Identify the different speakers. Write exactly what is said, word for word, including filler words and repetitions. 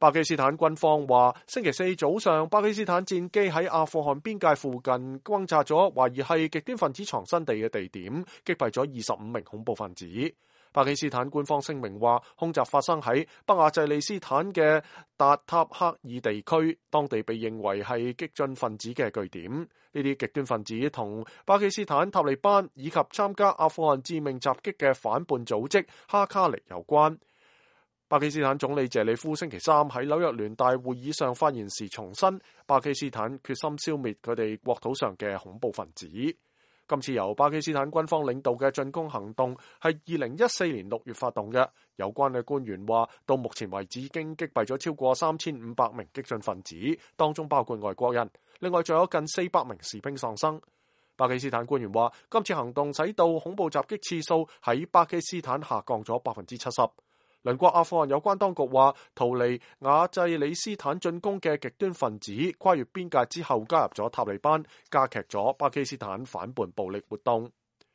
Speaker 1: 巴基斯坦軍方話，星期四早上，巴基斯坦戰機喺阿富汗邊界附近轟炸咗懷疑係極端分子藏身地嘅地點，擊斃咗二十五名恐怖分子。巴基斯坦官方聲明話，空襲發生喺北亞濟利斯坦嘅達塔克爾地區，當地被認為係激進分子嘅據點。呢啲極端分子同巴基斯坦塔利班以及參加阿富汗致命襲擊嘅反叛組織哈卡尼有關。巴基斯坦總理謝里夫星期三喺紐約聯大會議上發言時重申，巴基斯坦決心消滅佢哋國土上嘅恐怖分子。今次由巴基斯坦軍方領導嘅進攻行動係二零一四年六月發動嘅。有關嘅官員話，到目前為止已經擊斃咗超過三千五百名激進分子，當中包括外國人。另外仲有近四百名士兵喪生。巴基斯坦官員話，今次行動使到恐怖襲擊次數喺巴基斯坦下降咗百分之七十。鄰國阿富汗有關當局話，逃離亞濟里斯坦進攻嘅極端分子跨越邊界之後加入咗塔利班，加劇咗巴基斯坦反叛暴力活動。